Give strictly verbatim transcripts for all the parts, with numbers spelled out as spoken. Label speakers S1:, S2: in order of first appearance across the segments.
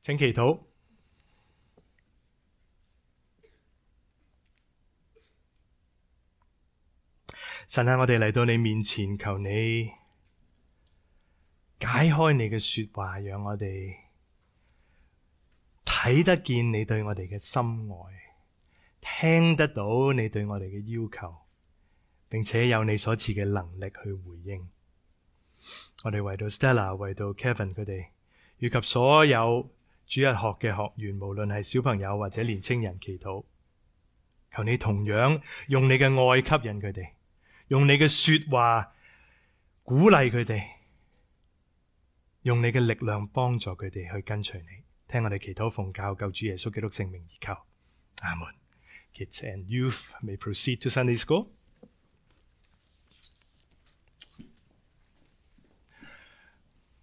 S1: 請祈禱。神啊，我哋嚟到你面前，求你解開你嘅說話，讓我哋睇得見你對我哋嘅深愛，聽得到你對我哋嘅要求，並且有你所賜嘅能力去回應。我哋為到 Stella、為到 Kevin 佢哋，以及所有主日學嘅學員，無論係小朋友或者年青人祈禱，求你同樣用你嘅愛吸引佢哋，用你嘅說話鼓勵佢哋，用你嘅力量幫助佢哋去跟隨你。聽我哋祈禱奉教救主耶穌基督聖名而求，阿門。Kids and youth may proceed to Sunday school.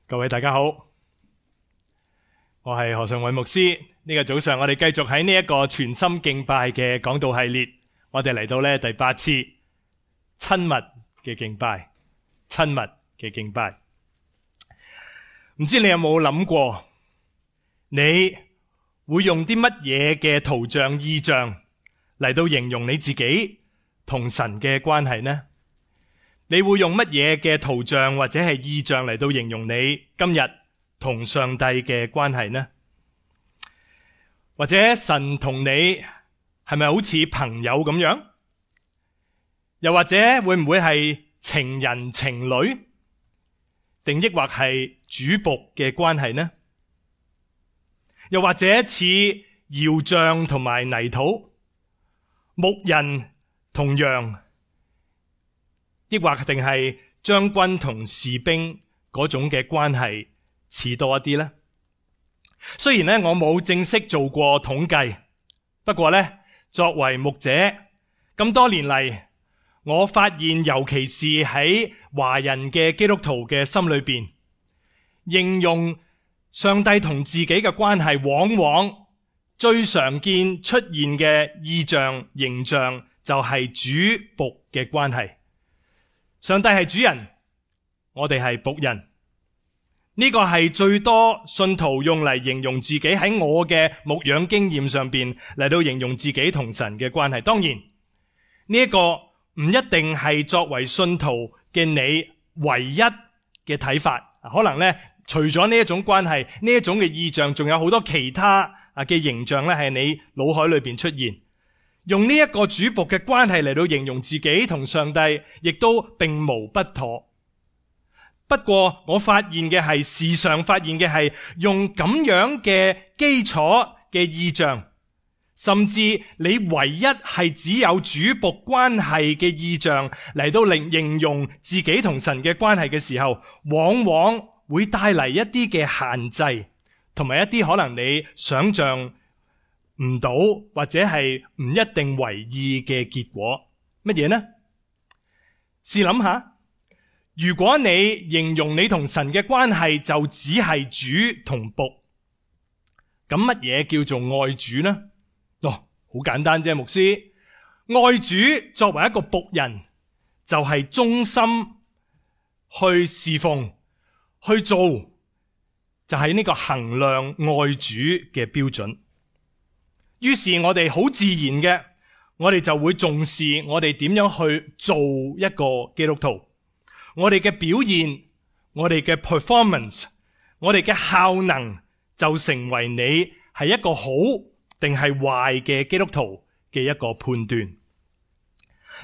S1: 各位大家好，我係何尚偉牧師。呢個早上我哋繼續喺呢一個全心敬拜嘅講道系列，我哋嚟到呢第八次親密嘅敬拜，親密嘅敬拜。唔知你有冇諗過，你會用啲乜嘢嘅圖像意象嚟到形容你自己同神嘅關係呢？你會用乜嘢嘅圖像或者係意象嚟到形容你今日同上帝嘅關係呢？或者神同你係咪好似朋友咁樣？又或者會唔會係情人情侶，定抑或係主僕嘅關係呢？又或者似窯匠同埋泥土，牧人同羊，抑或定係將軍同士兵嗰種嘅關係似多一啲呢？雖然咧我冇正式做過統計，不過咧作為牧者咁多年嚟，我發現尤其是喺華人嘅基督徒嘅心裏邊，形容上帝同自己嘅關係，往往最常見出現嘅意象形象就係主僕嘅關係。上帝係主人，我哋係僕人。呢個係最多信徒用嚟形容自己喺我嘅牧養經驗上邊嚟到形容自己同神嘅關係。當然呢一個唔一定係作為信徒嘅你唯一嘅睇法，可能呢，除咗呢一種關係，呢一種嘅意象，仲有好多其他啊嘅形象咧，係你腦海裏邊出現。用呢一個主僕嘅關係嚟到形容自己同上帝，亦都並無不妥。不過我發現嘅係，時常發現嘅係用咁樣嘅基礎嘅意象，甚至你唯一係只有主僕關係嘅意象嚟到令形容自己同神嘅關係嘅時候，往往會帶嚟一啲嘅限制，同埋一啲可能你想象唔到或者係唔一定為意嘅結果。乜嘢呢？試諗下，如果你形容你同神嘅關係就只係主同僕，咁乜嘢叫做愛主呢？哦，好簡單啫，牧師。愛主作為一個僕人，就係忠心去侍奉去做，就係呢個衡量愛主嘅標準。於是我哋好自然嘅，我哋就會重視我哋點樣去做一個基督徒，我哋嘅表現，我哋嘅 performance， 我哋嘅效能就成為你係一個好定係壞嘅基督徒嘅一個判斷。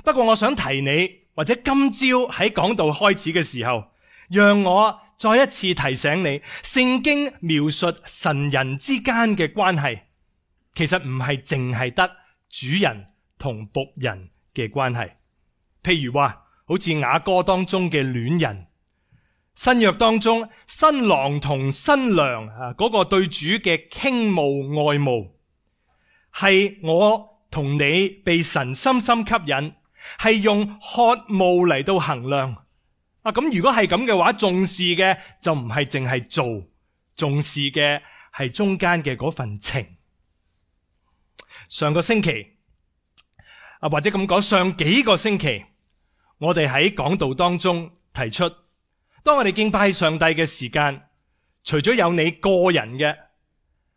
S1: 不過我想提你，或者今朝喺講道開始嘅時候，讓我再一次提醒你，聖經描述神人之間嘅關係，其實唔係淨係得主人同僕人嘅關係。譬如話，好似雅歌當中嘅戀人，新約當中新郎同新娘啊，嗰個對主嘅傾慕愛慕，係我同你被神深深吸引，係用渴慕嚟到衡量啊。咁如果係咁嘅話，重視嘅就唔係淨係做，重視嘅係中間嘅嗰份情。上個星期啊，或者咁講，上幾個星期，我哋喺講道當中提出，當我哋敬拜上帝嘅時間，除咗有你個人嘅，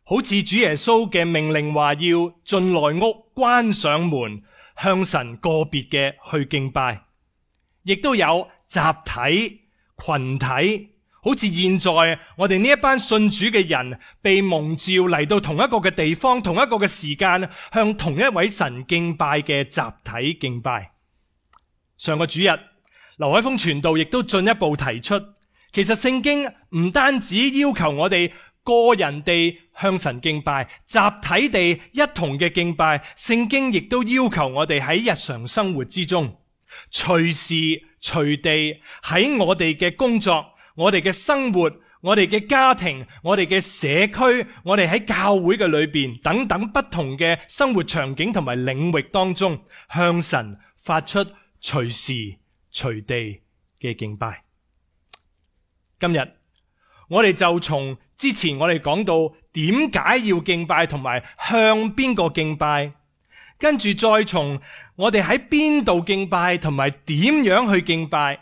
S1: 好似主耶穌嘅命令話要進內屋關上門，向神個別嘅去敬拜，亦都有集體群體，好似現在我哋呢一班信主嘅人被蒙召嚟到同一個嘅地方，同一個嘅時間，向同一位神敬拜嘅集體敬拜。上個主日劉海峰傳道亦都進一步提出，其實聖經唔單止要求我哋個人地向神敬拜，集體地一同嘅敬拜，聖經亦都要求我哋喺日常生活之中，隨時隨地喺我哋嘅工作、我哋嘅生活、我哋嘅家庭、我哋嘅社區、我哋喺教會嘅裏邊等等不同嘅生活場景同埋領域當中，向神發出隨時隨地嘅敬拜。今日我哋就從之前我哋講到點解要敬拜同埋向邊個敬拜，跟住再從我哋喺邊度敬拜同埋點樣去敬拜，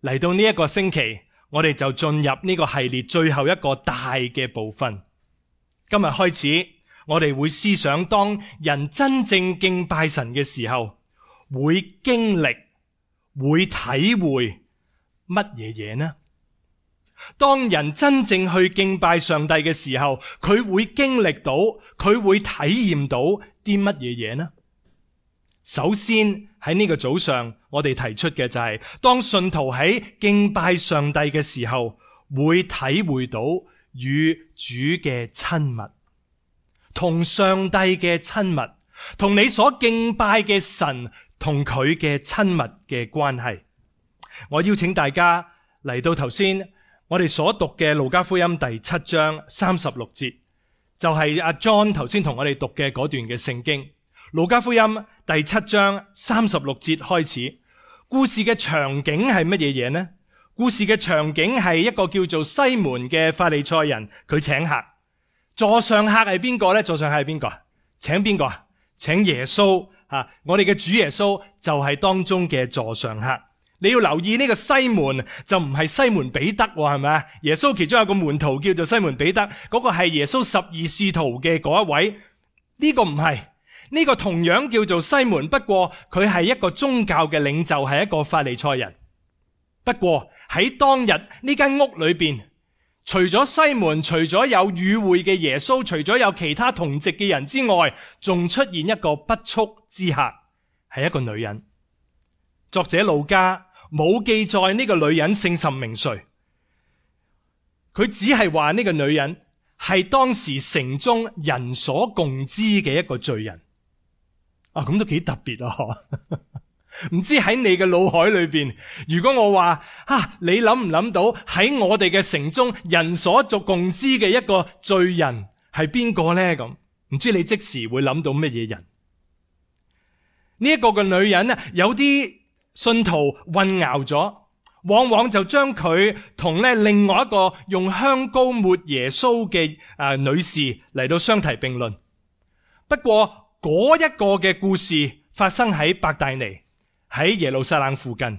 S1: 嚟到呢一個星期，我哋就進入呢個系列最後一個大嘅部分。今日開始，我哋會思想當人真正敬拜神嘅時候，會經歷、會體會乜嘢嘢呢？當人真正去敬拜上帝嘅時候，佢會經歷到，佢會體驗到啲乜嘢嘢呢？首先喺呢個早上，我哋提出嘅就係，當信徒喺敬拜上帝嘅時候，會體會到與主嘅親密，同上帝嘅親密，同你所敬拜嘅神同佢嘅親密嘅關係。我邀請大家嚟到頭先我哋所讀嘅路加福音第七章三十六節，就係阿 John 頭先同我哋讀嘅嗰段嘅聖經。路加福音第七章三十六節開始，故事嘅場景係乜嘢嘢呢？故事嘅場景係一個叫做西門嘅法利賽人，佢請客。座上客係邊個呢？座上客係邊個？請邊個啊？請耶穌啊！我哋嘅主耶穌就係當中嘅座上客。你要留意呢個西門就唔係西門彼得，係咪啊？耶穌其中有個門徒叫做西門彼得，嗰個係耶穌十二使徒嘅嗰一位。呢個唔係，呢個同樣叫做西門，不過佢係一個宗教嘅領袖，係一個法利賽人。不過喺當日呢間屋裏邊，除咗西門，除咗有與會嘅耶穌，除咗有其他同席嘅人之外，仲出現一個不速之客，係一個女人。作者路加冇記載呢個女人姓甚名誰，佢只係話呢個女人係當時城中人所共知嘅一個罪人。啊，咁都幾特別啊！唔知喺你嘅腦海裏邊，如果我話啊，你諗唔諗到喺我哋嘅城中人所族共知嘅一個罪人係邊個呢？咁唔知你即時會諗到乜嘢人？呢、這、一個嘅女人呢，有啲信徒混淆咗，往往就將佢同咧另外一個用香膏抹耶穌嘅誒女士嚟到相提並論。不過嗰一個嘅故事發生喺伯大尼，喺耶路撒冷附近，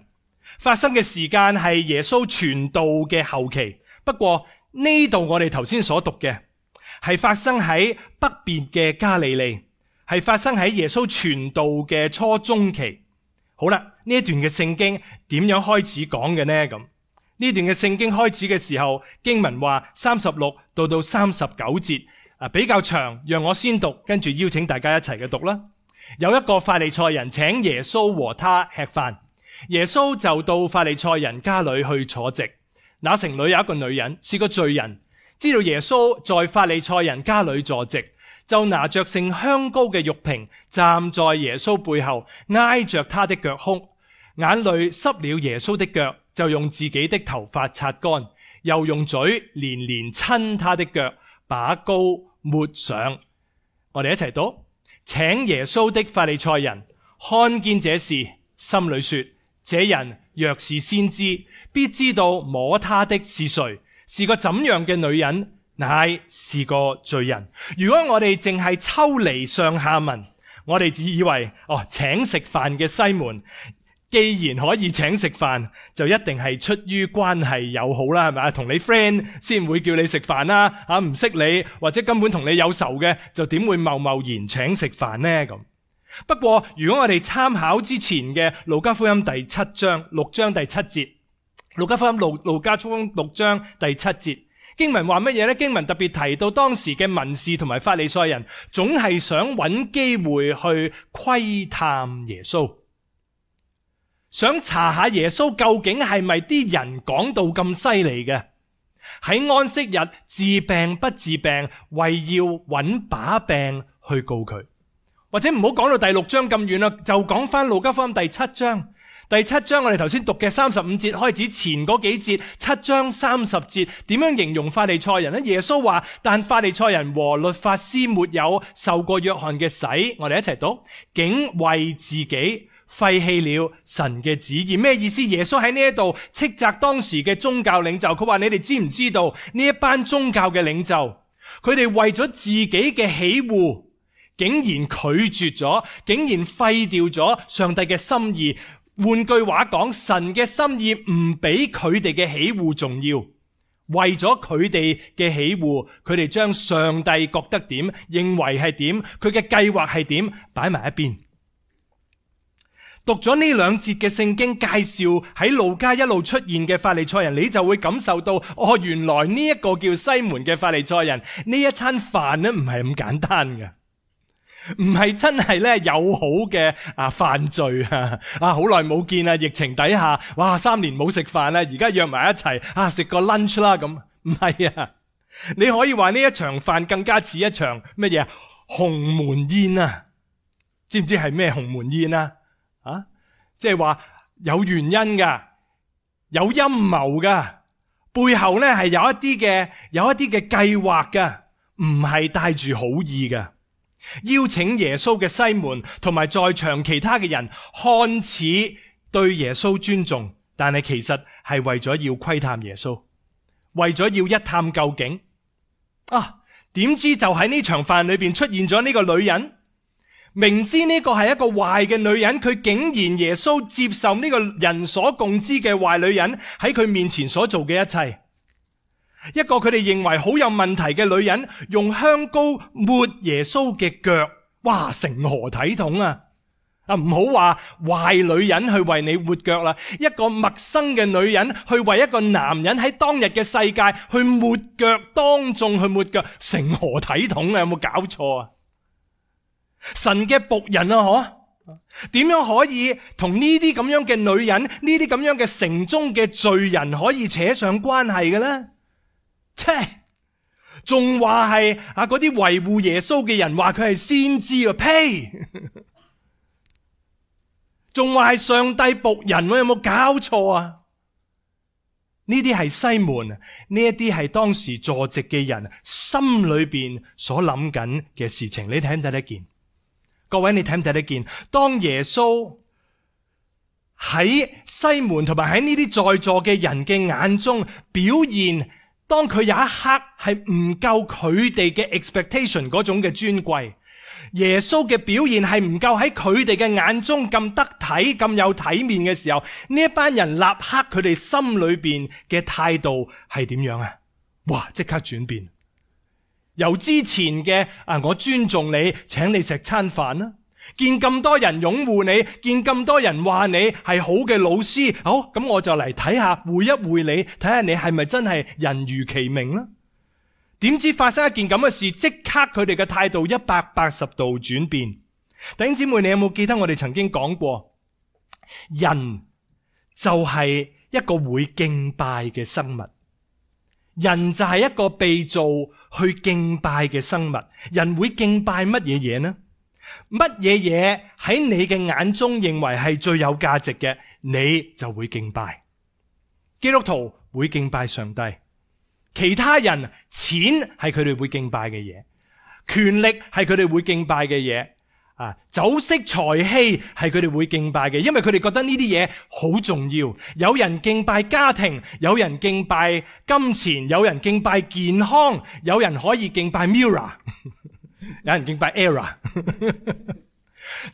S1: 發生嘅時間係耶穌傳道嘅後期。不過呢度我哋頭先所讀嘅係發生喺北邊嘅加利利，係發生喺耶穌傳道嘅初中期。好啦，呢一段嘅聖經點樣開始講嘅呢？咁呢段嘅聖經開始嘅時候，經文話三十六到到三十九節啊，比較長，讓我先讀，跟住邀請大家一齊嘅讀啦。有一個法利賽人請耶穌和他吃飯，耶穌就到法利賽人家裏去坐席。那城裏有一個女人是個罪人，知道耶穌在法利賽人家裏坐席，就拿着盛香膏嘅玉瓶，站在耶穌背後，挨着他的腳哭，眼淚濕了耶穌的腳，就用自己的頭髮擦乾，又用嘴連連親他的腳，把膏抹上。我哋一齊讀。請耶穌的法利賽人看見這事，心裏說：這人若是先知，必知道摸他的是誰，是個怎樣嘅女人，乃是個罪人。如果我哋淨係抽離上下文，我哋只以為哦，請食飯嘅西門既然可以請食飯，就一定係出於關係友好啦，係咪啊？同你 friend 先會叫你食飯啦，啊唔識你或者根本同你有仇嘅，就點會貿貿然請食飯呢？咁不過如果我哋參考之前嘅路加福音第七章六章第七節，路加福音路路加福音六章第七節經文話乜嘢呢？經文特別提到當時嘅文士同埋法利賽人總係想揾機會去窺探耶穌，想查下耶穌究竟係咪啲人講到咁犀利嘅，喺安息日治病不治病，為要揾把柄去告佢。或者唔好講到第六章咁遠啦，就講翻路加福音第七章。第七章我哋頭先讀嘅三十五節開始前嗰幾節，七章三十節點樣形容法利賽人呢？耶穌話：但法利賽人和律法師沒有受過約翰嘅洗，我哋一齊讀，竟為自己廢棄了神嘅旨意。咩意思？耶穌喺呢一度斥責當時嘅宗教領袖，佢話：你哋知唔知道呢一班宗教嘅領袖，佢哋為咗自己嘅喜惡，竟然拒絕咗，竟然廢掉咗上帝嘅心意。換句話講，神嘅心意唔比佢哋嘅喜惡重要。為咗佢哋嘅喜惡，佢哋將上帝覺得點，認為係點，佢嘅計劃係點，擺埋一邊。讀咗呢兩節嘅聖經介紹喺路加一路出現嘅法利賽人，你就會感受到，哦，原來呢一個叫西門嘅法利賽人，呢一餐飯呢唔係咁簡單嘅。唔係真係咧友好嘅啊犯罪啊啊好耐冇見啊，疫情底下哇三年冇食飯啦，而家約埋一齊啊食個 lunch 啦咁，唔係啊，你可以話呢一場飯更加似一場乜嘢鴻門宴啊？知唔知係咩鴻門宴啊？啊，即係話有原因噶，有陰謀噶，背後咧係有一啲嘅有一啲嘅計劃噶，唔係帶住好意噶。邀請耶穌嘅西門同埋在場其他嘅人，看似對耶穌尊重，但係其實係為咗要窺探耶穌，為咗要一探究竟。啊，點知就喺呢場飯裏邊出現咗呢個女人，明知呢個係一個壞嘅女人，佢竟然耶穌接受呢個人所共知嘅壞女人喺佢面前所做嘅一切。一個佢哋認為好有問題嘅女人，用香膏抹耶穌嘅腳，哇，成何體統啊！啊，唔好話壞女人去為你抹腳啦，一個陌生嘅女人去為一個男人喺當日嘅世界去抹腳，當眾去抹腳，成何體統啊？有冇搞錯啊？神嘅僕人啊，嗬，點樣可以同呢啲咁樣嘅女人，呢啲咁樣嘅城中嘅罪人可以扯上關係嘅呢？切，仲話係啊嗰啲維護耶穌嘅人話佢係先知啊，呸！仲話係上帝僕人，有冇搞錯啊？呢啲係西門，呢一啲係當時坐席嘅人心裏邊所諗緊嘅事情，你睇唔睇得見？各位，你睇唔睇得見？當耶穌喺西門同埋喺呢啲在座嘅人嘅眼中表現，當佢有一刻係唔夠佢哋嘅 expectation 嗰種嘅尊貴，耶穌嘅表現係唔夠喺佢哋嘅眼中咁得體、咁有體面嘅時候，呢一班人立刻佢哋心裏邊嘅態度係點樣啊？哇！即刻轉變，由之前嘅啊我尊重你，請你食餐飯啦，見咁多人擁護你，見咁多人話你係好嘅老師，好，咁我就嚟睇下，會一會你，睇下你係咪真係人如其名啦？點知發生一件咁嘅事，即刻佢哋嘅態度一百八十度轉變。弟兄姊妹，你有冇記得我哋曾經講過，人就係一個會敬拜嘅生物，人就係一個被造去敬拜嘅生物。人會敬拜乜嘢嘢呢？乜嘢嘢喺你嘅眼中認為係最有價值嘅，你就會敬拜。基督徒會敬拜上帝，其他人錢係佢哋會敬拜嘅嘢，權力係佢哋會敬拜嘅嘢，啊，酒色財氣係佢哋會敬拜嘅，因為佢哋覺得呢啲嘢好重要。有人敬拜家庭，有人敬拜金錢，有人敬拜健康，有人可以敬拜 Mirror， 有人敬拜 Era。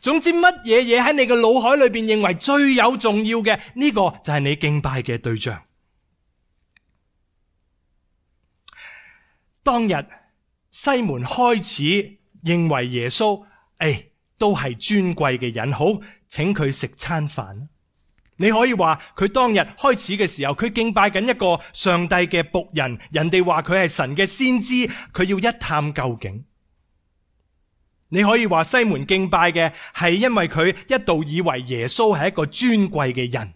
S1: 總之乜嘢嘢喺你嘅腦海裏邊認為最有重要嘅，呢個就係你敬拜嘅對象。當日西門開始認為耶穌誒都係尊貴嘅人，好，請佢食餐飯。你可以話佢當日開始嘅時候，佢敬拜緊一個上帝嘅僕人，人哋話佢係神嘅先知，佢要一探究竟。你可以話西門敬拜嘅係因為佢一度以為耶穌係一個尊貴嘅人。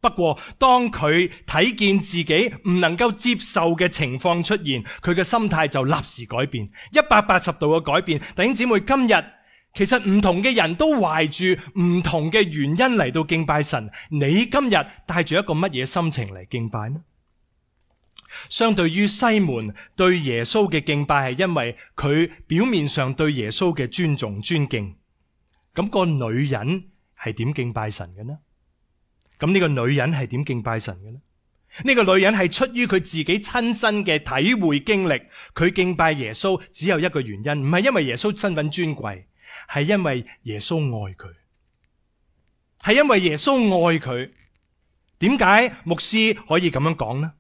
S1: 不過當佢睇見自己唔能夠接受嘅情況出現，佢嘅心態就立時改變，一百八十度嘅改變。弟兄姊妹，今日其實唔同嘅人都懷住唔同嘅原因嚟到敬拜神，你今日帶住一個乜嘢心情嚟敬拜呢？相對於西門對耶穌嘅敬拜係因為佢表面上對耶穌嘅尊重尊敬，咁個女人係點敬拜神嘅呢？咁呢個女人係點敬拜神嘅呢？呢個女人係出於佢自己親身嘅體會經歷，佢敬拜耶穌只有一個原因，唔係因為耶穌身份尊貴，係因為耶穌愛佢，係因為耶穌愛佢。點解牧師可以咁樣講呢？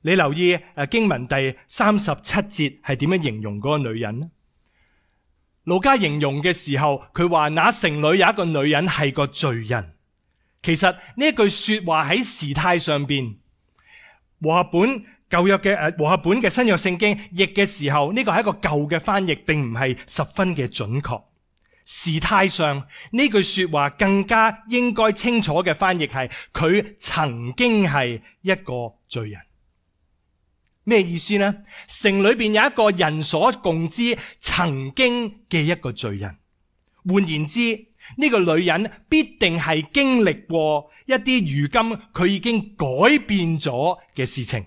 S1: 你留意誒經文第三十七節係點樣形容嗰個女人呢？路加形容嘅時候，佢話那城裏有一個女人係個罪人。其實呢一句說話喺時態上邊，和合本舊約嘅誒和合本嘅新約聖經譯嘅時候，呢個係一個舊嘅翻譯，並唔係十分嘅準確。時態上呢句說話更加應該清楚嘅翻譯係佢曾經係一個罪人。咩意思呢？城裏邊有一個人所共知曾經嘅一個罪人。換言之，呢個女人必定係經歷過一啲如今佢已經改變咗嘅事情，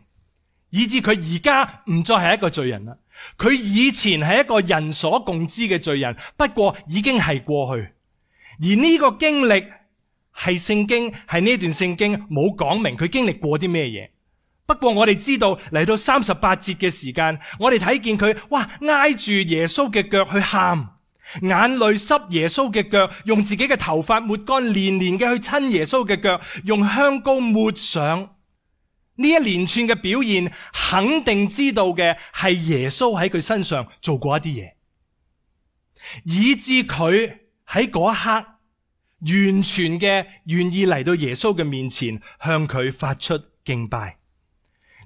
S1: 以致佢而家唔再係一個罪人啦。佢以前係一個人所共知嘅罪人，不過已經係過去。而呢個經歷係聖經係呢段聖經冇講明佢經歷過啲咩嘢。不過我哋知道嚟到三十八節嘅時間，我哋睇見佢哇挨住耶穌嘅腳去喊，眼淚濕耶穌嘅腳，用自己嘅頭髮抹乾，連連嘅去親耶穌嘅腳，用香膏抹上。呢一連串嘅表現，肯定知道嘅係耶穌喺佢身上做過一啲嘢，以致佢喺嗰一刻完全嘅願意嚟到耶穌嘅面前，向佢發出敬拜。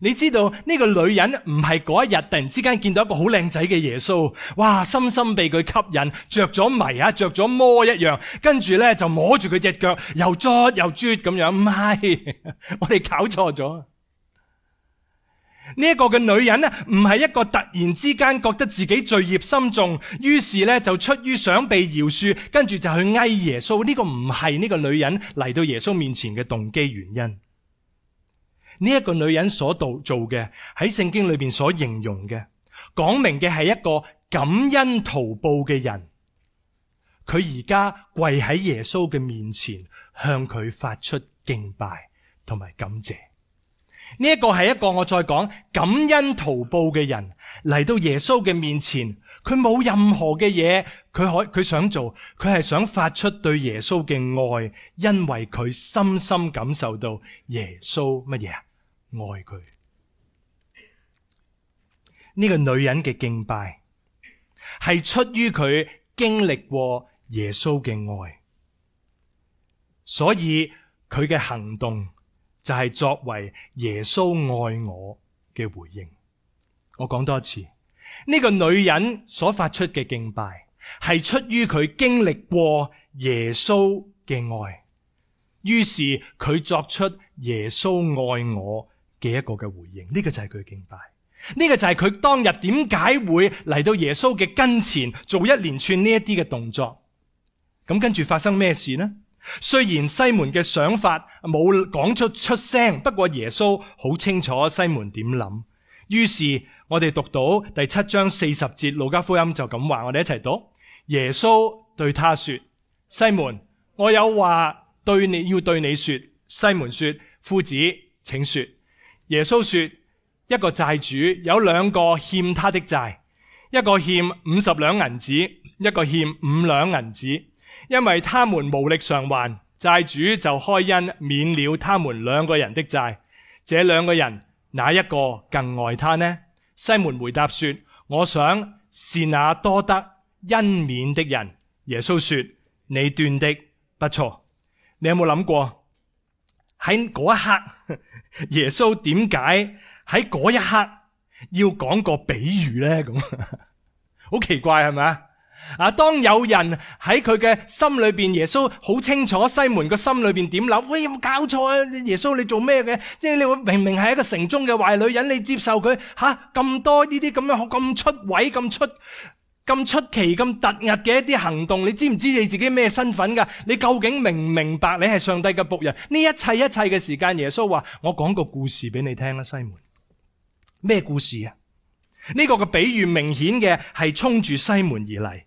S1: 你知道呢個女人唔係嗰一日突然之間見到一個好靚仔嘅耶穌，哇，深深被佢吸引，着咗迷啊，着咗魔一樣，跟住咧就摸住佢隻腳，又捽又啜咁樣。唔係，我哋搞錯咗。呢一個嘅女人呢，唔係一個突然之間覺得自己罪孽深重，於是咧就出於想被饒恕，跟住就去哀耶穌。呢個唔係呢個女人嚟到耶穌面前嘅動機原因。呢一個女人所做嘅，喺聖經裏邊所形容嘅，講明嘅係一個感恩圖報嘅人。佢而家跪喺耶穌嘅面前，向佢發出敬拜同埋感謝。呢一個係一個我再講感恩圖報嘅人嚟到耶穌嘅面前，佢冇任何嘅嘢，佢可佢想做，佢係想發出對耶穌嘅愛，因為佢深深感受到耶穌乜嘢啊？愛佢。呢個女人嘅敬拜係出於佢經歷過耶穌嘅愛，所以佢嘅行動就係作為耶穌愛我嘅回應。我講多一次，呢個女人所發出嘅敬拜係出於佢經歷過耶穌嘅愛，於是佢作出耶穌愛我嘅一個嘅回應。呢個就係佢嘅敬拜，呢個就係佢當日點解會嚟到耶穌嘅跟前做一連串呢一啲嘅動作。咁跟住發生咩事呢？雖然西門嘅想法冇講出出聲，不過耶穌好清楚西門點諗。於是我哋讀到第七章四十節，路加福音就咁話，我哋一齊讀。耶穌對他說：西門，我有話對你要對你說。西門說：夫子，請說。耶穌說：一個債主有兩個欠他的債，一個欠五十兩銀子，一個欠五兩銀子，因為他們無力償還，債主就開恩免了他們兩個人的債。這兩個人哪一個更愛他呢？西門回答說：我想是那多得恩免的人。耶穌說：你斷的不錯。你有冇諗過喺嗰一刻，耶穌點解喺嗰一刻要講個比喻呢？咁好奇怪係咪啊？啊！當有人喺佢嘅心裏邊，耶穌好清楚西門個心裏邊點諗。喂，有冇搞錯啊？耶穌你做咩嘅？即係你明明係一個城中嘅壞女人，你接受佢吓咁多呢啲咁樣咁出位、咁出咁出奇、咁突兀嘅一啲行動？你知唔知你自己咩身份噶？你究竟明唔明白你係上帝嘅僕人？呢一切一切嘅時間，耶穌話：我講個故事俾你聽啦，西門。咩故事啊？呢個嘅比喻明顯嘅係衝住西門而嚟。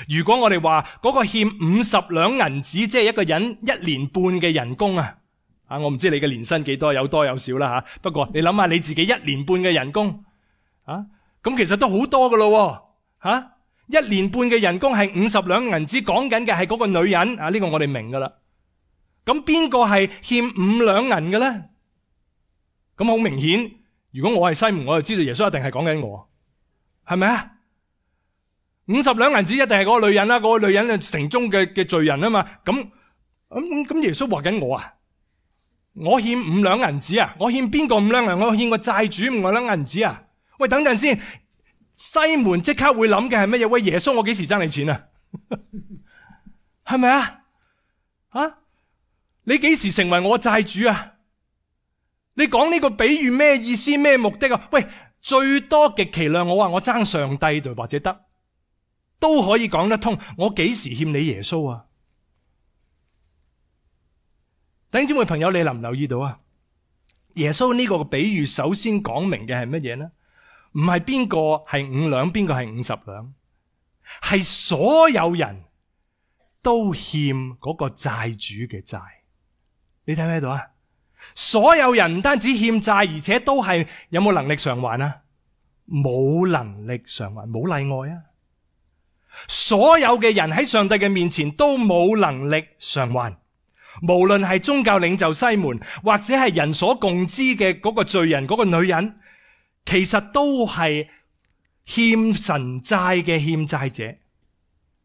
S1: 如果我哋話嗰個欠五十兩銀子，即係一個人一年半嘅人工啊，啊，我唔知你嘅年薪幾多，有多有少啦吓。不過你諗下你自己一年半嘅人工啊，咁其實都好多噶咯吓。一年半嘅人工係五十兩銀子，講緊嘅係嗰個女人啊，呢個我哋明噶啦。咁邊個係欠五兩銀嘅咧？咁好明顯，如果我係西門，我就知道耶穌一定係講緊我，係咪啊？五十兩銀子一定係嗰個女人啦，嗰個女人係城中嘅嘅罪人啊嘛。咁咁咁耶穌話緊我啊，我欠五兩銀子啊，我欠邊個五兩銀？我欠個債主五兩銀子啊。喂，等陣先，西門即刻會諗嘅係乜嘢？喂，耶穌，我幾時爭你錢啊？係咪啊？啊，你幾時成為我債主啊？你講呢個比喻咩意思？咩目的啊？喂，最多極其量我話我爭上帝就或者得。都可以講得通，我幾時欠你耶穌啊？弟兄姊妹朋友，你留唔留意到啊？耶穌呢個比喻首先講明嘅係乜嘢呢？唔係邊個係五兩，邊個係五十兩，係所有人都欠嗰個債主嘅債。你睇唔睇到啊？所有人唔單止欠債，而且都係有冇能力償還啊？冇能力償還，冇例外啊！所有嘅人喺上帝嘅面前都冇能力償還，無論係宗教領袖西門，或者係人所共知嘅嗰個罪人嗰個女人，其實都係欠神債嘅欠債者。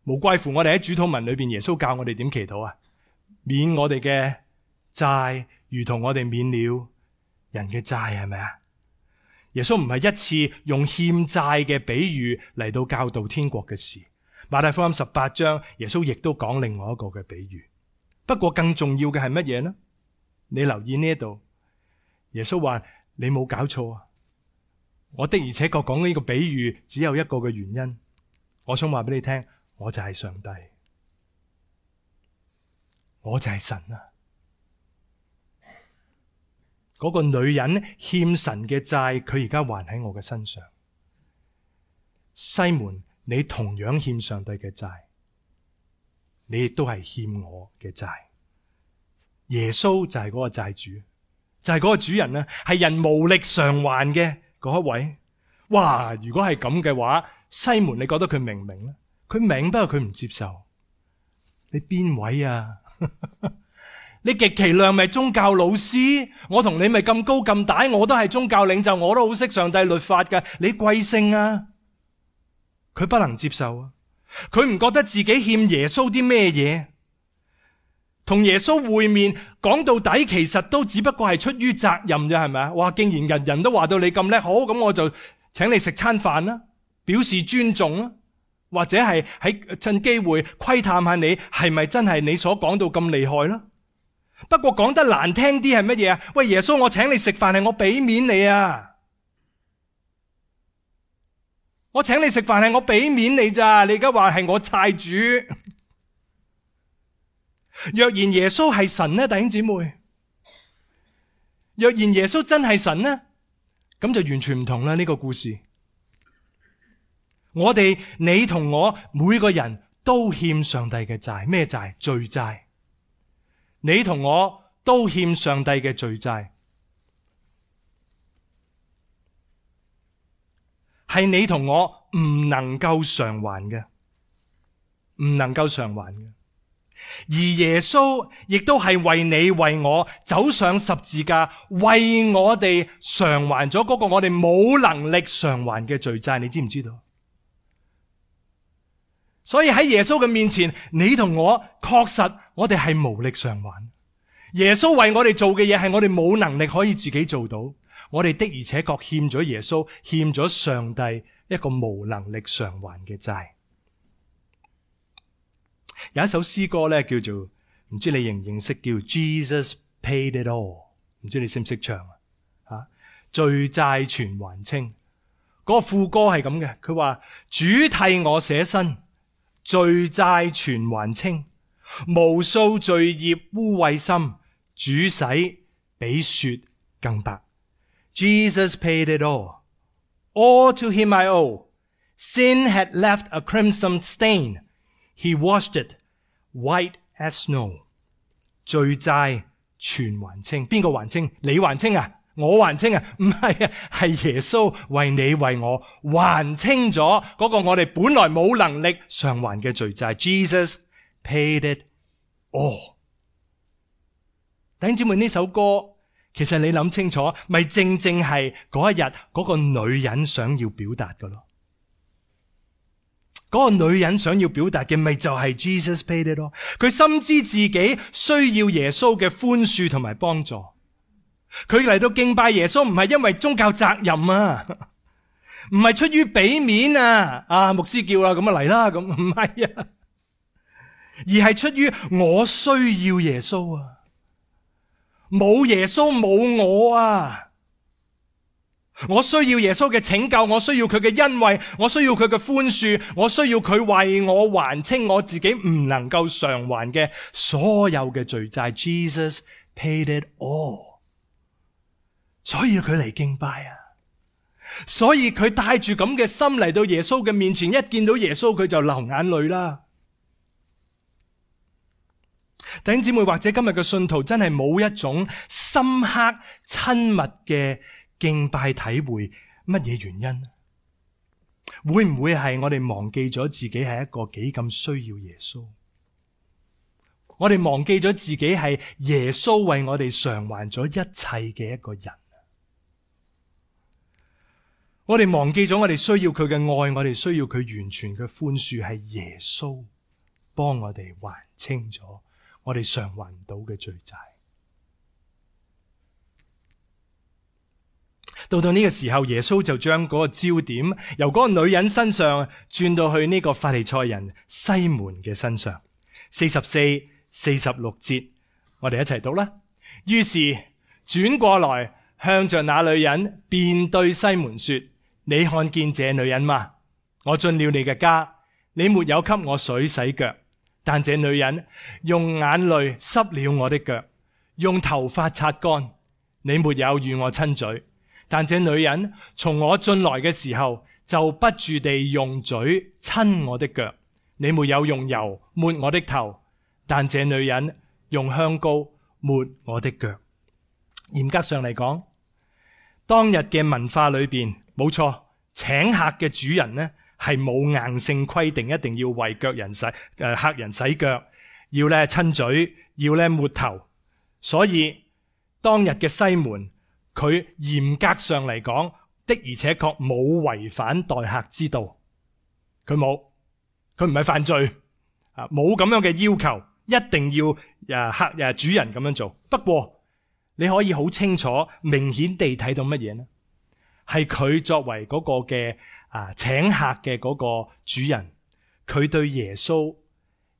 S1: 無怪乎我哋喺主禱文裏邊，耶穌教我哋點祈禱啊？免我哋嘅債，如同我哋免了人嘅債，係咪啊？耶穌唔係一次用欠債嘅比喻嚟到教導天國嘅事。馬太福音十八章，耶穌亦都講另外一個嘅比喻。不過更重要嘅係乜嘢呢？你留意呢一度，耶穌話你冇搞錯啊！我的而且確講呢個比喻只有一個嘅原因，我想話俾你聽，我就係上帝，我就係神啊！嗰個女人欠神嘅債，佢而家還喺我嘅身上。西門，你同樣欠上帝嘅債，你亦都係欠我嘅債。耶穌就係嗰個債主，就係嗰個主人啊，係人無力償還嘅嗰一位。哇！如果係咁嘅話，西門，你覺得佢明唔明咧？佢明，不過佢唔接受。你邊位啊？你極其量咪宗教老師？我同你咪咁高咁大，我都係宗教領袖，我都好識上帝律法㗎。你貴姓啊？佢不能接受啊！佢唔覺得自己欠耶穌啲咩嘢，同耶穌會面，講到底其實都只不過係出於責任啫，係咪啊？哇！竟然人人都話到你咁叻，好，咁我就請你食餐飯啦，表示尊重啦，或者係喺趁機會窺探下你係咪真係你所講到咁厲害啦。不過講得難聽啲係乜嘢啊？喂，耶穌，我請你食飯係我俾面你啊！我請你食飯係我俾面你咋？你而家話係我債主。若然耶穌係神呢，弟兄姊妹，若然耶穌真係神呢，咁就完全唔同啦。呢個故事，我哋你同我每個人都欠上帝嘅債。咩債？罪債。你同我都欠上帝嘅罪債。係你同我唔能夠償還嘅，唔能夠償還嘅。而耶穌亦都係為你為我走上十字架，為我哋償還咗嗰個我哋冇能力償還嘅罪債，你知唔知道？所以喺耶穌嘅面前，你同我確實我哋係無力償還。耶穌為我哋做嘅嘢係我哋冇能力可以自己做到，我哋的而且確欠咗耶穌，欠咗上帝一個無能力償還嘅債。有一首詩歌咧，叫做唔知你認唔認識，叫 Jesus Paid It All， 唔知你識唔識唱啊？吓，罪債全還清。嗰個副歌係咁嘅，佢話主替我捨身，罪債全還清，無數罪孽污穢心，主洗比雪更白。Jesus paid it all, all to him I owe. Sin had left a crimson stain, he washed it white as snow. 罪債全還清，邊個還清？你還清啊？我還清啊？唔係啊，係耶穌為你為我還清咗嗰個我哋本來冇能力償還嘅罪債。Jesus paid it all。弟兄姊妹，呢首歌其實你諗清楚，咪正正係嗰一日嗰個女人想要表達嘅咯。嗰個女人想要表達嘅咪就係 Jesus paid it all。佢深知自己需要耶穌嘅寬恕同埋幫助。佢嚟到敬拜耶穌唔係因為宗教責任啊，唔係出於俾面啊，啊牧師叫啦咁啊嚟啦咁，唔係啊，而係出於我需要耶穌啊，冇耶穌冇我啊。我需要耶穌嘅拯救，我需要佢嘅恩惠，我需要佢嘅寬恕，我需要佢為我還清我自己唔能夠償還嘅所有嘅罪債。Jesus paid it all。 所以佢嚟敬拜啊，所以佢帶住咁嘅心嚟到耶穌嘅面前，一見到耶穌佢就流眼淚啦。弟兄姊妹，或者今日嘅信徒真係冇一種深刻親密嘅敬拜體會，乜嘢原因？會唔會係我哋忘記咗自己係一個幾咁需要耶穌？我哋忘記咗自己係耶穌為我哋償還咗一切嘅一個人。我哋忘記咗我哋需要佢嘅愛，我哋需要佢完全嘅寬恕，係耶穌幫我哋還清咗我哋償還唔到嘅罪債。到到呢個時候，耶穌就將嗰個焦點由嗰個女人身上轉到去呢個法利賽人西門嘅身上。四十四、四十六節，我哋一齊讀啦。於是轉過來，向着那女人便對西門說：你看見這女人嗎？我進了你嘅家，你沒有給我水洗腳，但這女人用眼淚濕了我的腳，用頭髮擦乾。你沒有與我親嘴，但這女人從我進來嘅時候就不住地用嘴親我的腳。你沒有用油抹我的頭，但這女人用香膏抹我的腳。嚴格上嚟講，當日嘅文化裏邊，冇錯，請客嘅主人呢係冇硬性規定一定要為腳人洗誒、呃、客人洗腳，要咧親嘴，要咧抹頭。所以當日嘅西門，佢嚴格上嚟講的而且確冇違反待客之道，佢冇，佢唔係犯罪啊，冇咁樣嘅要求，一定要誒客誒主人咁樣做。不過你可以好清楚、明顯地睇到乜嘢呢？係佢作為嗰個嘅啊請客嘅嗰個主人，佢對耶穌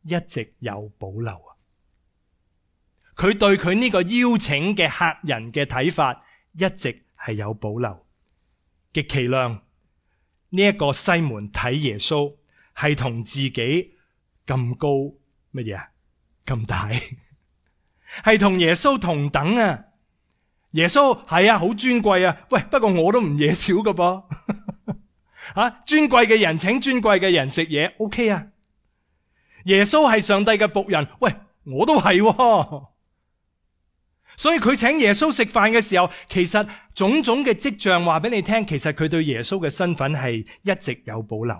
S1: 一直有保留啊！佢對佢呢個邀請嘅客人嘅睇法一直係有保留。極其量呢一個西門睇耶穌係同自己咁高乜嘢啊？咁大係同耶穌同等啊！耶穌係啊，好尊貴啊！喂，不過我都唔嘢少噶噃，啊，尊貴嘅人請尊貴嘅人食嘢 ，OK 啊？耶穌係上帝嘅僕人，喂，我都係喎。所以佢請耶穌食飯嘅時候，其實種種嘅跡象話俾你聽，其實佢對耶穌嘅身份係一直有保留。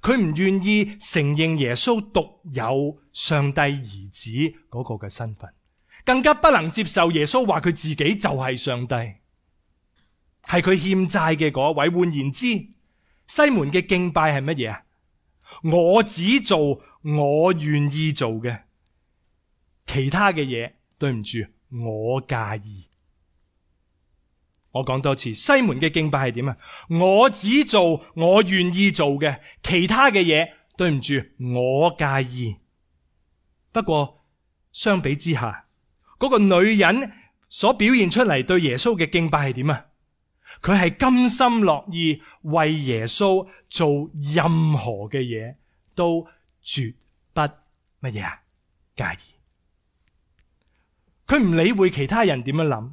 S1: 佢唔願意承認耶穌獨有上帝兒子嗰個嘅身份，更加不能接受耶穌話佢自己就係上帝，係佢欠債嘅嗰位。換言之，西門嘅敬拜係乜嘢啊？我只做我願意做嘅，其他嘅嘢，對唔住，我介意。我講多次，西門嘅敬拜係點啊？我只做我願意做嘅，其他嘅嘢，對唔住，我介意。不過相比之下，嗰個女人所表現出嚟對耶穌嘅敬拜係點啊？佢係甘心樂意為耶穌做任何嘅嘢，都絕不乜嘢啊？介意。佢唔理會其他人點樣諗，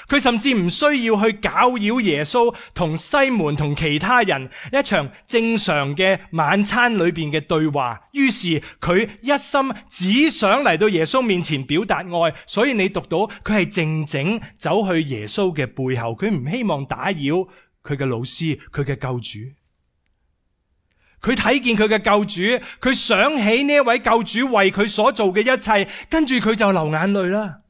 S1: 佢甚至唔需要去攪擾耶穌同西門同其他人一場正常嘅晚餐裏邊嘅對話。於是佢一心只想嚟到耶穌面前表達愛，所以你讀到佢係靜靜走去耶穌嘅背後，佢唔希望打擾佢嘅老師，佢嘅救主。佢睇見佢嘅救主，佢想起呢一位救主為佢所做嘅一切，跟住佢就流眼淚啦。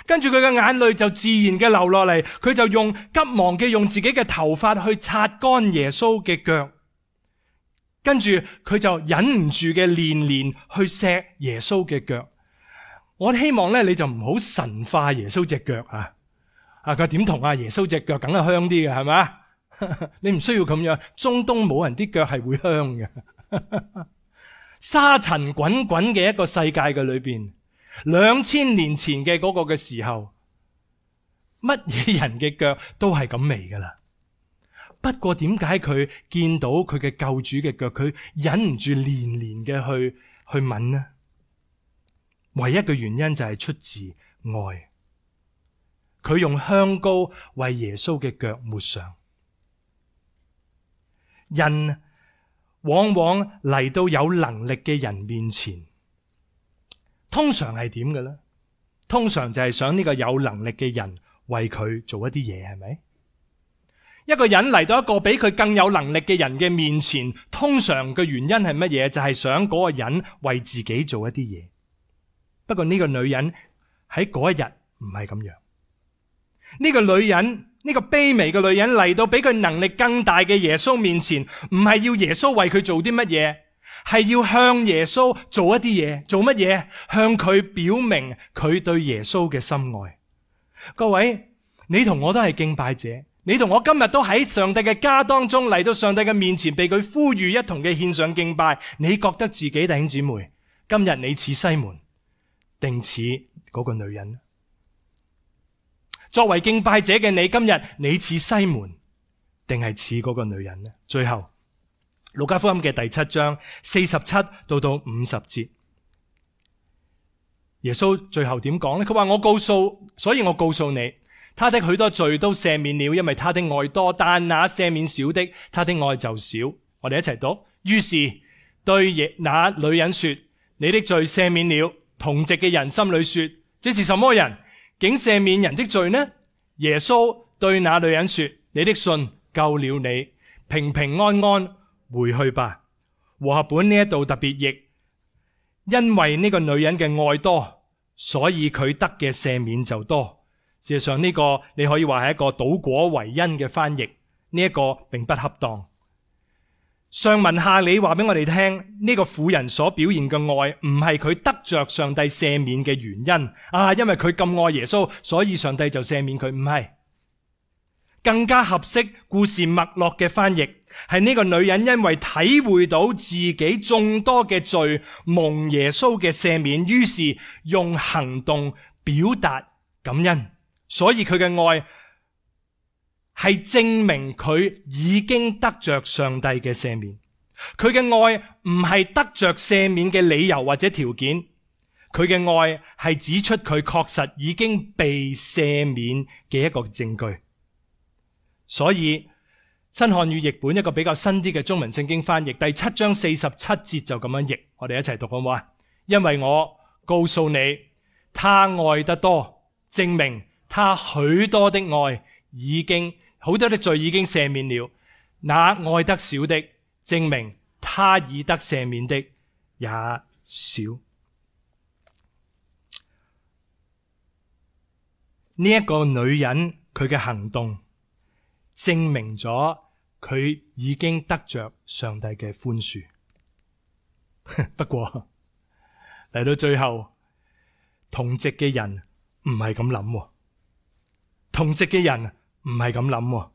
S1: 跟住佢嘅眼淚就自然嘅流落嚟，佢就用急忙嘅用自己嘅頭髮去擦乾耶穌嘅腳，跟住佢就忍唔住嘅連連去錫耶穌嘅腳。我希望咧，你就唔好神化耶穌隻腳啊！啊，佢點同啊耶穌隻腳梗係香啲嘅，係咪？你唔需要咁樣，中東冇人啲腳係會香嘅。沙塵滾滾嘅一個世界嘅裏邊，兩千年前嘅嗰個嘅時候，乜嘢人嘅腳都係咁味噶啦。不過點解佢見到佢嘅救主嘅腳，佢忍唔住連連嘅去去吻呢？唯一嘅原因就係出自愛。佢用香膏為耶穌嘅腳抹上。人往往嚟到有能力嘅人面前，通常係點嘅咧？通常就係想呢個有能力嘅人為佢做一啲嘢，係咪？一個人嚟到一個比佢更有能力嘅人嘅面前，通常嘅原因係乜嘢？就係想嗰個人為自己做一啲嘢。不過呢個女人喺嗰一日唔係咁樣。呢個女人，呢個卑微嘅女人嚟到比佢能力更大嘅耶穌面前，唔係要耶穌為佢做啲乜嘢，係要向耶穌做一啲嘢。做乜嘢？向佢表明佢對耶穌嘅深愛。各位，你同我都係敬拜者，你同我今日都喺上帝嘅家當中嚟到上帝嘅面前，被佢呼籲一同嘅獻上敬拜。你覺得自己弟兄姊妹，今日你似西門定似嗰個女人？作為敬拜者嘅你，今日你似西門定係似嗰個女人呢？最後，路加福音嘅第七章四十七到到五十節，耶穌最後點講呢？佢話，我告訴，所以我告訴你，他的許多罪都赦免了，因為他的愛多；但那赦免少的，他的愛就少。我哋一齊讀。於是對那女人說，你的罪赦免了。同席嘅人心裏說，這是什麼人？竟赦免人的罪呢？耶穌對那女人說，你的信救了你，平平安安回去吧。和合本呢一度特別譯，因為呢個女人嘅愛多，所以佢得嘅赦免就多。事實上呢個你可以話係一個倒果為因嘅翻譯，呢一個並不恰當。上文下理話俾我哋聽，呢個婦人所表現嘅愛唔係佢得着上帝赦免嘅原因啊，因為佢咁愛耶穌，所以上帝就赦免佢。唔係，更加合適故事脈絡嘅翻譯係呢個女人因為體會到自己眾多嘅罪蒙耶穌嘅赦免，於是用行動表達感恩，所以佢嘅愛係證明佢已經得着上帝嘅赦免。佢嘅愛唔係得着赦免嘅理由或者條件，佢嘅愛係指出佢確實已經被赦免嘅一個證據。所以新漢語譯本一個比較新啲嘅中文聖經翻譯第七章四十七節就咁樣譯，我哋一齊讀好唔好啊？因為我告訴你，他愛得多，證明他許多的愛已經好多的罪已經赦免了。那愛得少的，證明他已得赦免的也少。呢一個女人佢嘅行動，證明咗佢已經得着上帝嘅寬恕。不過嚟到最後，同席嘅人唔係咁諗，同席嘅人唔係咁諗。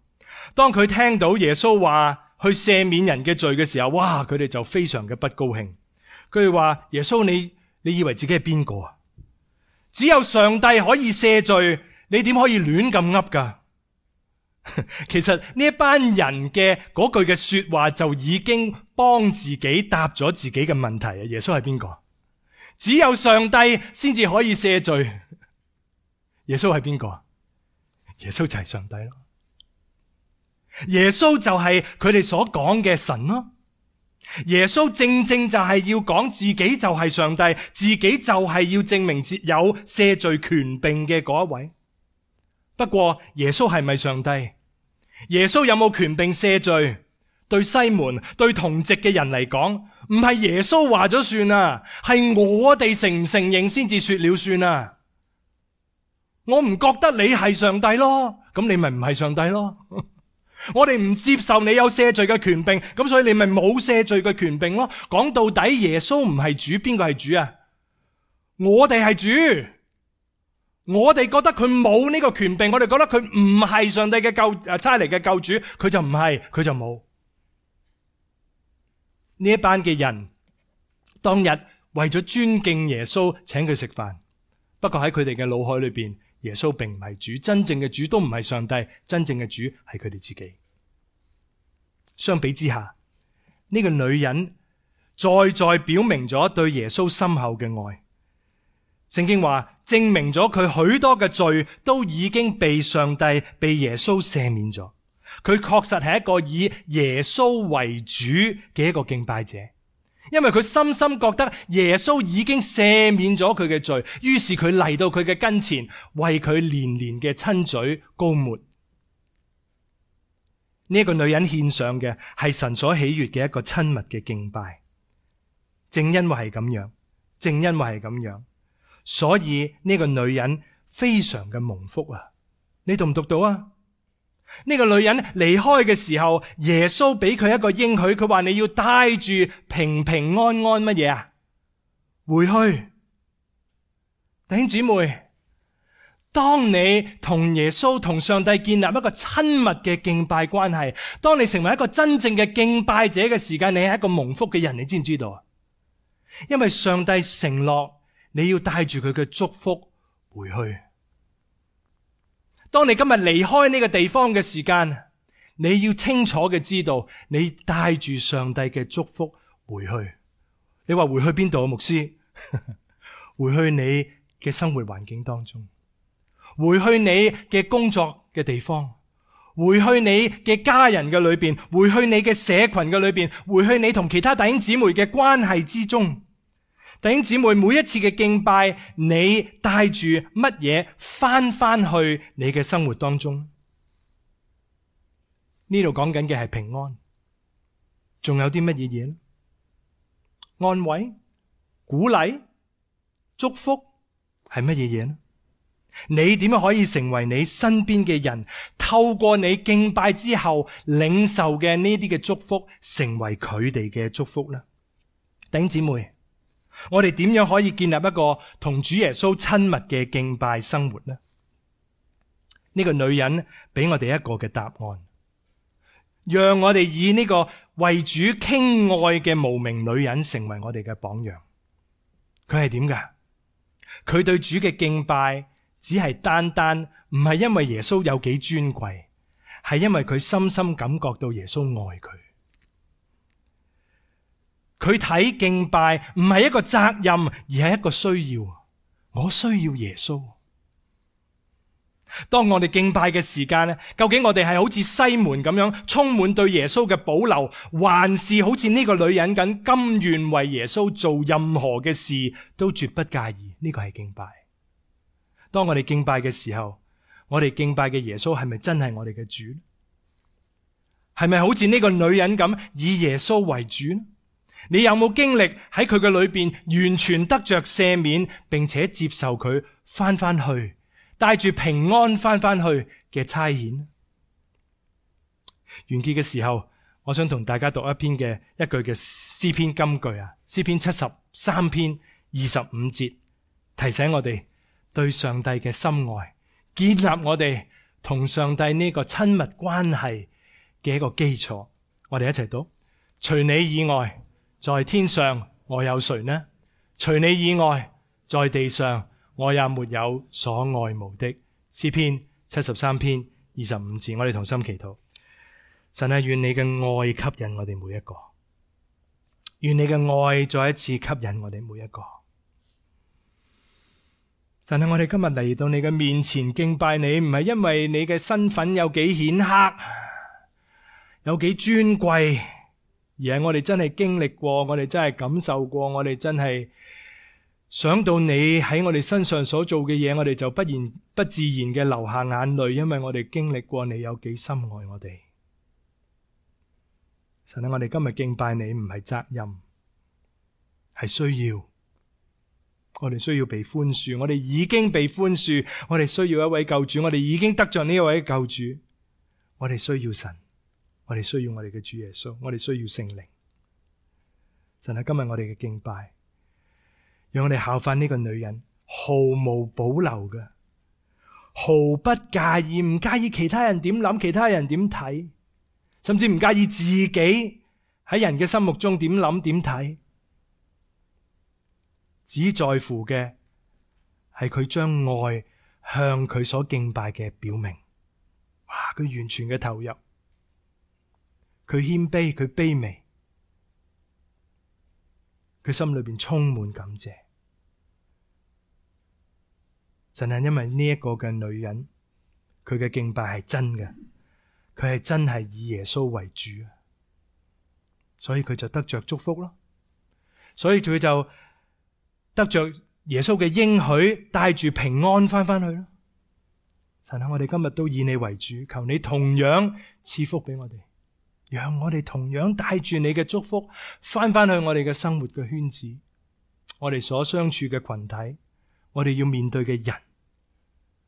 S1: 當佢聽到耶穌話去赦免人嘅罪嘅時候，哇！佢哋就非常嘅不高興。佢哋話：耶穌，你你以為自己係邊個啊？只有上帝可以赦罪，你點可以亂咁噏噶？其實呢一班人嘅嗰句嘅說話就已經幫自己答咗自己嘅問題啊！耶穌係邊個？只有上帝先至可以赦罪。耶穌係邊個？耶穌就係上帝咯。耶穌就係佢哋所講嘅神咯。耶穌正正就係要講自己就係上帝，自己就係要證明有赦罪權柄嘅嗰一位。不過耶穌係咪上帝？耶穌有冇權柄赦罪？對西門、對同席嘅人嚟講，唔係耶穌話咗算啊，係我哋承唔承認先至說了算啊。我唔覺得你係上帝咯，咁你咪唔係上帝咯。我哋唔接受你有赦罪嘅權柄，咁所以你咪冇赦罪嘅權柄咯。講到底，耶穌唔係主，邊個係主啊？我哋係主，我哋覺得佢冇呢個權柄，我哋覺得佢唔係上帝嘅救誒差嚟嘅救主，佢就唔係，佢就冇。呢一班嘅人當日為咗尊敬耶穌，請佢食飯。不過喺佢哋嘅腦海裏邊，耶穌並唔係主，真正嘅主都唔係上帝，真正嘅主係佢哋自己。相比之下，呢個女人再再表明咗對耶穌深厚嘅愛。聖經話，證明咗佢許多嘅罪都已經被上帝、被耶穌赦免咗。佢確實係一個以耶穌為主嘅一個敬拜者。因為佢深深覺得耶穌已經赦免咗佢嘅罪，於是佢嚟到佢嘅跟前，為佢連連嘅親嘴膏抹。呢一個女人獻上嘅係神所喜悅嘅一個親密嘅敬拜。正因為係咁樣，正因為係咁樣，所以呢個女人非常嘅蒙福啊！你讀唔讀到啊？呢個女人離開嘅時候，耶穌俾佢一個應許，佢話你要帶住平平安安乜嘢啊？回去。弟兄姊妹，當你同耶穌同上帝建立一個親密嘅敬拜關係，當你成為一個真正嘅敬拜者嘅時間，你係一個蒙福嘅人，你知唔知道啊？因為上帝承諾你要帶住佢嘅祝福回去。當你今日離開呢個地方嘅時間，你要清楚嘅知道，你帶住上帝嘅祝福回去。你話回去邊度啊，牧師？回去你嘅生活環境當中，回去你嘅工作嘅地方，回去你嘅家人嘅裏邊，回去你嘅社群嘅裏邊，回去你同其他弟兄姊妹嘅關係之中。弟兄姊妹，每一次嘅敬拜，你帶住乜嘢翻翻去你嘅生活當中？呢度講緊嘅係平安，仲有啲乜嘢嘢？安慰、鼓勵、祝福係乜嘢嘢呢？你點樣可以成為你身邊嘅人，透過你敬拜之後領受嘅呢啲嘅祝福，成為佢哋嘅祝福呢？弟兄姊妹，我哋點樣可以建立一個同主耶穌親密嘅敬拜生活呢？呢個女人俾我哋一個嘅答案，讓我哋以呢個為主傾愛嘅無名女人成為我哋嘅榜樣。佢係點㗎？佢對主嘅敬拜只係單單唔係因為耶穌有幾尊貴，係因為佢深深感覺到耶穌愛佢。佢睇敬拜唔係一個責任，而係一個需要。我需要耶穌。當我哋敬拜嘅時間咧，究竟我哋係好似西門咁樣充滿對耶穌嘅保留，還是好似呢個女人咁甘願為耶穌做任何嘅事都絕不介意？呢個係敬拜。當我哋敬拜嘅時候，我哋敬拜嘅耶穌係咪真係我哋嘅主？係咪好似呢個女人咁以耶穌為主呢？你有冇經歷喺佢嘅裏邊完全得着赦免，並且接受佢翻翻去，帶住平安翻翻去嘅差遣？完結嘅時候，我想同大家讀一篇嘅一句嘅詩篇金句啊，詩篇七十三篇二十五節，提醒我哋對上帝嘅深愛，建立我哋同上帝呢個親密關係嘅一個基礎。我哋一齊讀：除你以外，在天上我有誰呢？除你以外，在地上我也沒有所愛慕的。詩篇七十三篇二十五節，我哋同心祈禱。神啊，願你嘅愛吸引我哋每一個，願你嘅愛再一次吸引我哋每一個。神啊，我哋今日嚟到你嘅面前敬拜你，唔係因為你嘅身份有幾顯赫，有幾尊貴，而係我哋真係經歷過，我哋真係感受過，我哋真係想到你喺我哋身上所做嘅嘢，我哋就不然不自然嘅流下眼淚，因為我哋經歷過你有幾深愛我哋。神啊，我哋今日敬拜你唔係責任，係需要。我哋需要被寬恕，我哋已經被寬恕，我哋需要一位救主，我哋已經得着呢一位救主。我哋需要神，我哋需要我哋嘅主耶穌，我哋需要聖靈。神啊，今日我哋嘅敬拜，讓我哋效法呢個女人，毫無保留嘅，毫不介意，唔介意其他人點諗，其他人點睇，甚至唔介意自己喺人嘅心目中點諗點睇，只在乎嘅係佢將愛向佢所敬拜嘅表明。哇！佢完全嘅投入，佢謙卑，佢卑微，佢心裏邊充滿感謝。神係因為呢一個嘅女人，佢嘅敬拜係真嘅，佢係真係以耶穌為主，所以佢就得着祝福咯。所以佢就得着耶穌嘅應許，帶住平安翻翻去咯。神啊，我哋今日都以你為主，求你同樣賜福俾我哋，讓我哋同樣帶住你嘅祝福翻翻去我哋嘅生活嘅圈子，我哋所相處嘅群體，我哋要面對嘅人，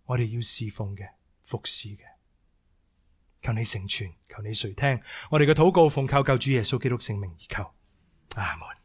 S1: 我哋要侍奉嘅、服侍嘅。求你成全，求你垂聽我哋嘅禱告，奉靠救主耶穌基督聖名而求，阿門。